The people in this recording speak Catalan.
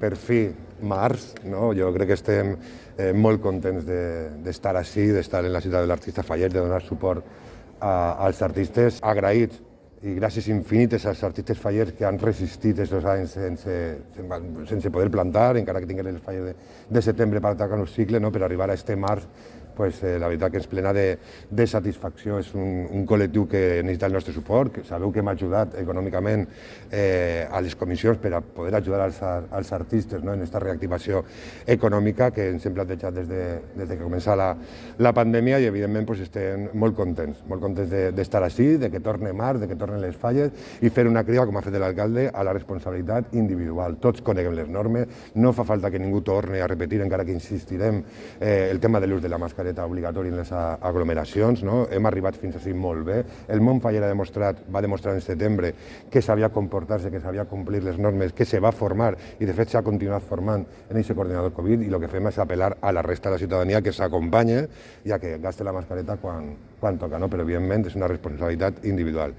per fi, març, no? Jo crec que estem molt contents d'estar així, d'estar en la ciutat de l'Artista Fallet, de donar suport als artistes, agraïts i gràcies infinites als artistes fallers que han resistit aquests anys sense poder plantar, encara que tinguin els fallers de setembre per atacar un cicle, no? Per arribar a este març, pues, la veritat que ens plena de satisfacció. És un col·lectiu que necessita el nostre suport, que sabeu que hem ajudat econòmicament a les comissions per a poder ajudar als artistes, no? En aquesta reactivació econòmica que ens hem plantejat des que comença la pandèmia, i evidentment pues, estem molt contents d'estar així, de que torni març, de que tornen les falles, i fer una crida, com ha fet l'alcalde, a la responsabilitat individual. Tots coneguem les normes, no fa falta que ningú torni a repetir, encara que insistirem, el tema de l'ús de la mascareta obligatori en les aglomeracions, no? Hem arribat fins així molt bé. El món faller va demostrar en setembre que sabia comportar-se, que sabia complir les normes, que se va formar i de fet s'ha continuat formant en aquest coordinador Covid, i el que fem és apel·lar a la resta de la ciutadania que s'acompanya i a que gaste la mascareta quan toca, no? Però evidentment és una responsabilitat individual.